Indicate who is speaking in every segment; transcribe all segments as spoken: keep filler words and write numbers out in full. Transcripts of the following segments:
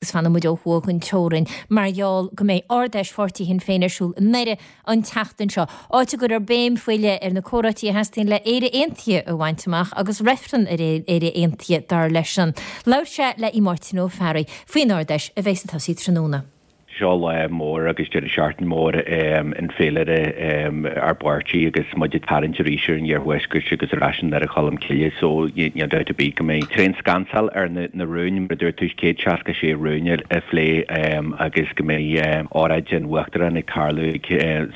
Speaker 1: Agus fanfaidh muid ó thuaidh den teorainn mar gheall go mbeidh Ard-Fheis Pháirtí Shinn Féin ar siúl i nDoire an tseachtain seo, áit a gcuirfear béim faoi leith ar na comhráití a theastaíonn le Éire Aontaithe a bhaint amach agus reifreann ar Éire Aontaithe, dar leisean. Labhair sé le Máirtín Ó Fearraigh faoin Ard-Fheis a bheidh ag tosaí tráthnóna.
Speaker 2: Seo lá mór agus deireadh seachtaine mór in féilire ár bpáirtí agus muid ag tarraingt arís ar an iarthuaisceart agus ar ais i nDoire Cholm Cille so níl dabht ar bith go mbeidh tréanscansail ar na rúin, mar a dúirt tú, céad seasca sé rún a phlé agus go mbeidh óráid an Uachtaráin ag tarlú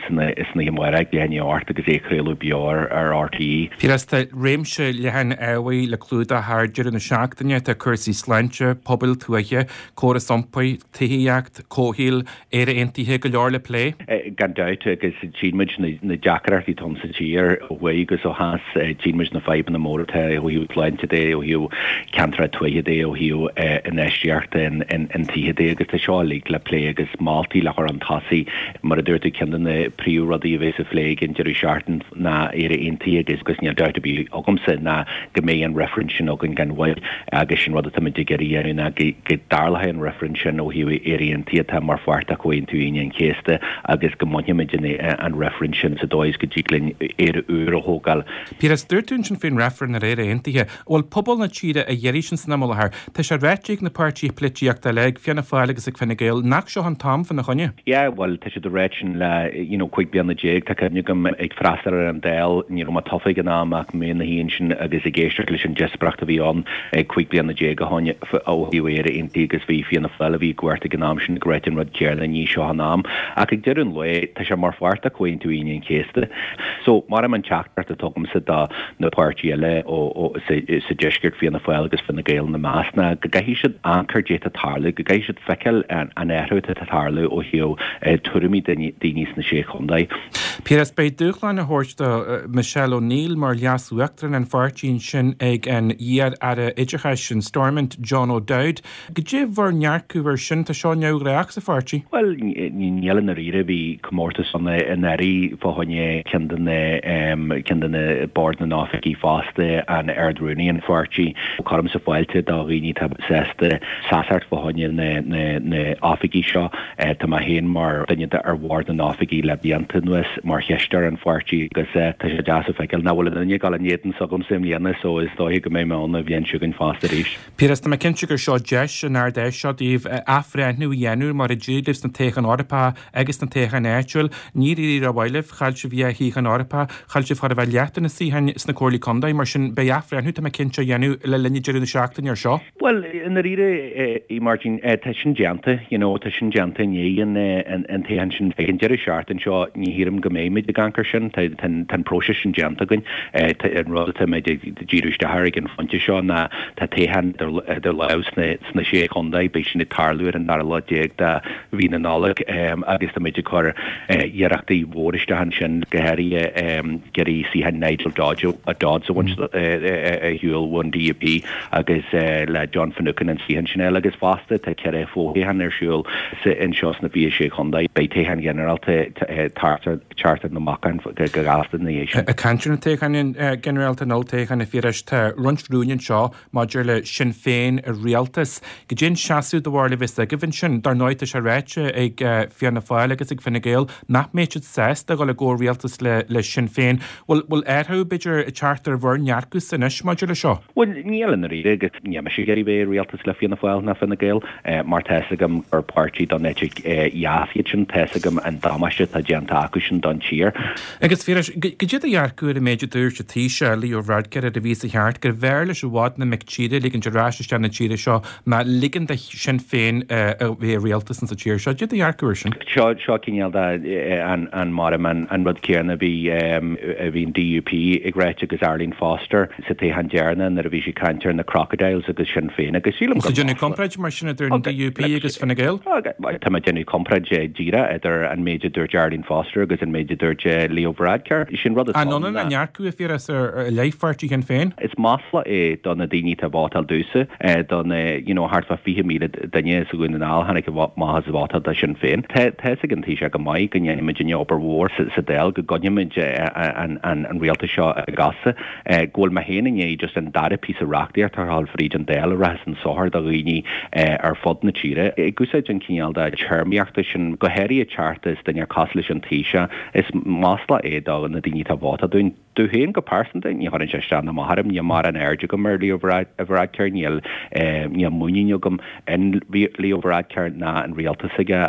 Speaker 2: san oíche amárach ag leath i ndiaidh a hocht agus é a chraoladh beo ar R T E.
Speaker 3: Piaras, tá réimse leathan ábhair le clúdach thar deireadh na seachtaine, tá cúrsaí sláinte, pobail tuaithe, córas iompair, tithíocht, comhshaoil, Éire Aontaithe, go leor le plé.
Speaker 2: Gan dabht, agus tchíonn muid na deacrachtaí atá sa tír ó thuaidh agus ó theas, tchíonn muid na fadhbanna móra atá ó thaobh sláinte de, ó thaobh ceantracha tuaithe de, ó thaobh infheistíochta in tithe de, agus tá seo uilig le plé agus moltaí le cur chun tosaigh. Mar a dúirt tú, ceann de na príomhrudaí a bheidh sa phlé ag an deireadh seachtaine ná Éire Aontaithe agus níl dabht ar bith agamsa ná go mbeidh an reifreann sin againn gan mhoill agus sin rud atá muid ag iarraidh a dhéanamh ná go dtarlóidh an reifreann sin ó thaobh Éire Aontaithe atá mar pháirt de Chomhaontú Aoine an Chéasta agus go mbainfimid an reifreann sin sa dóigh is go dtig linn Éire úr a thógáil.
Speaker 3: Piaras, dúirt tú ansin faoin reifreann ar Éire Aontaithe. Bhfuil pobal na tíre á iarraidh sin san am i láthair? Tá sé ráite ag na páirtithe polaitíochta eile, ag Fianna Fáil agus ag Fine Gael, nach seo an t-am fána choinne.
Speaker 2: Yeah, bhuel, tá siad ag ráit sin le you know cúig bliana déag. Tá cuimhne agam ag freastal ar an Dáil, ní raibh mé tofa ag an am ach mé ina shuí ansin agus ag éisteacht leis an díospóireacht a bhí ann cúig bliana déag ó shin ó thaobh Éire Aontaithe agus bhí Fianna Fáil a bhí i gcumhacht ag an am sin ag ráit an rud céanna, ní seo an am. Ach ag deireadh an lae, tá sé mar pháirt de Chomhaontú Aoine an Chéasta. So, mar an teachtaireacht atá agamsa do na páirtithe eile ó sa deisceart, Fianna Fáil agus Fine Gael ina measc, ná go gcaithfidh siad amharc ar caidé atá ag tarlú, go gcaithfidh siad feiceáil an athrú atá ag tarlú ó thaobh tuairimí daoine sna Sé Chontae.
Speaker 3: Piaras, beidh dúshlán á thabhairt do Michelle O'Neill mar leas-uachtarán an pháirtí ansin ag an iar-aire oideachais in Stormont, John O'Dowd. Goidé bhur ndearcadh ar sin? Tá seo neamhghnách sa pháirtí?
Speaker 2: Bhuel, níl i ndáiríre. Bhí comórtas ann anuraidh fá choinne ceann de na ceann de na Bord na nOifigí fosta, an Ard-Rúnaí an pháirtí. Cuirimse fáilte do dhaoine atá sásta seasacht fá choinne na na na oifigí seo. Tá mé féin mar duine de ar Bhord na nOifigí le blianta anuas mar chisteoir an pháirtí agus tá sé deas a feiceáil nach bhfuil aon duine ag dul in éadan s'agamsa i mbliana so is dóiche go mbeidh mé ann an bhliain seo chugainn fosta arís.
Speaker 3: Piaras, tá mé cinnte gur seo deis an Ard-Fheis seo daoibh athbhreithniú a dhéanamh mar a d'éirigh libh sna toghcháin Eorpacha agus sna toghcháin áitiúil. Níor éirigh rómhaith libh, chaill sibh dhá shuíochán Eorpach, chaill sibh chóir a bheith leath de na suíocháin sna comhairlí contae, mar sin beidh athbhreithniú, tá mé cinnte, á dhéanamh le linn deireadh na seachtaine ar seo.
Speaker 2: Bhuel, i ndáiríre, a Mháirtín, tá sin déanta, you know, tá sin déanta i ndiaidh an an toghcháin sin. Ag an deireadh seachtaine seo, ní shílim go mbeimid ag amharc air sin, tá an próiseas sin déanta againn. An rud atá muid ag díriú isteach air ag an phointe seo ná tá toghchán idir lámh sna Sé Chontae, beidh sin ag tarlú ar an dara lá déag de mhí na Nollag agus tá muid ag cur iarrachtaí mhór isteach ansin, go háirithe ag iarraidh suíochán Nigel Dodds a bhaint ar shiúl ón D U P agus le John Finucane an suíochán sin a fháil agus fosta tá ceithre fho-thoghchán ar siúl anseo sna fiche sé chontae. Beidh toghchán ginearálta thart ar na bacáin go gasta ina dhiaidh sin.
Speaker 3: Ag caint ar na toghcháin ginearálta, an olltoghchán, a Phiarais, tá roinnt rúin anseo maidir le Sinn Féin i rialtas. Goidé an seasamh do bharúil a bheas agaibh ansin? Dar ndóigh tá sé ráite ag Fianna Fáil agus ag Fine Gael nach mbeidh siad sásta dul i gcomhrialtas le le Sinn Féin. Bhfuil bhfuil athrú b'fhéidir ag teacht ar bhur ndearcadh anois maidir le seo?
Speaker 2: Bhuel, níl i ndáiríre agus níl mise ag iarraidh bheith i rialtas le Fianna Fáil ná Fine Gael mar tá fhios agam gur páirtí don eite dheas iad sin, tá fhios agam an damáiste atá déanta acu sin don tír.
Speaker 3: Agus a Phiarais, goidé do dhearcadh ar an méid a dúirt an Taoiseach, Leo Varadkar ar an mhí seo thart, gurbh fhearr leis i bhfad na mic tíre a ligint ar ais isteach na tíre seo ná ligean do Shinn Féin a bheith i rialtas insa tír seo. Goidé do dhearcadh ar sin?
Speaker 2: Seo seo cineál de an an mar an an rud céanna a bhí a bhí an D U P ag ráit agus Arlene Foster sa toghchán deireanach nuair a bhí sí ag caint ar na crocodiles agus Sinn Féin agus sílim
Speaker 3: gur déanamh comparáid mar sin idir an D U P agus Fine Gael?
Speaker 2: Tá mé déanamh comparáid díreach idir an méid a dúirt Arlene Foster agus an méid a dúirt Leo Varadkar. Sin rud
Speaker 3: atá An ionann a ndearcadh, a Phiarais, ar leith pháirtí Shinn Féin?
Speaker 2: Is masla é do na daoine atá vótáil domhsa, do na you know thart fá fiche míle duine sa Dhún na nGall tháinig amach seachas vóta do Shinn Féin. Tá a fhios ag an Taoiseach go maith go ndéanaimidne obair mhór sa Dáil, go gcoinnímid an rialtas seo ina gcosa, go bhfuil mé féin i ndiaidh just an dara píosa reachtaíochta a chur fríd an Dáil a rachas chun sochair do dhaoine ar fud na tíre. Ag úsáid an cineál de téarmaíochta sin, go háirithe teacht as duine cosúil leis an Taoiseach, is masla é do na daoine atá ag vótáil dúinn. Domh féin go pearsanta, ní chuireann sé isteach ná amach orm, níl mórán aird agam ar Leo Varadkar, níl níl muinín agam in Leo Varadkar ná an rialtas aige.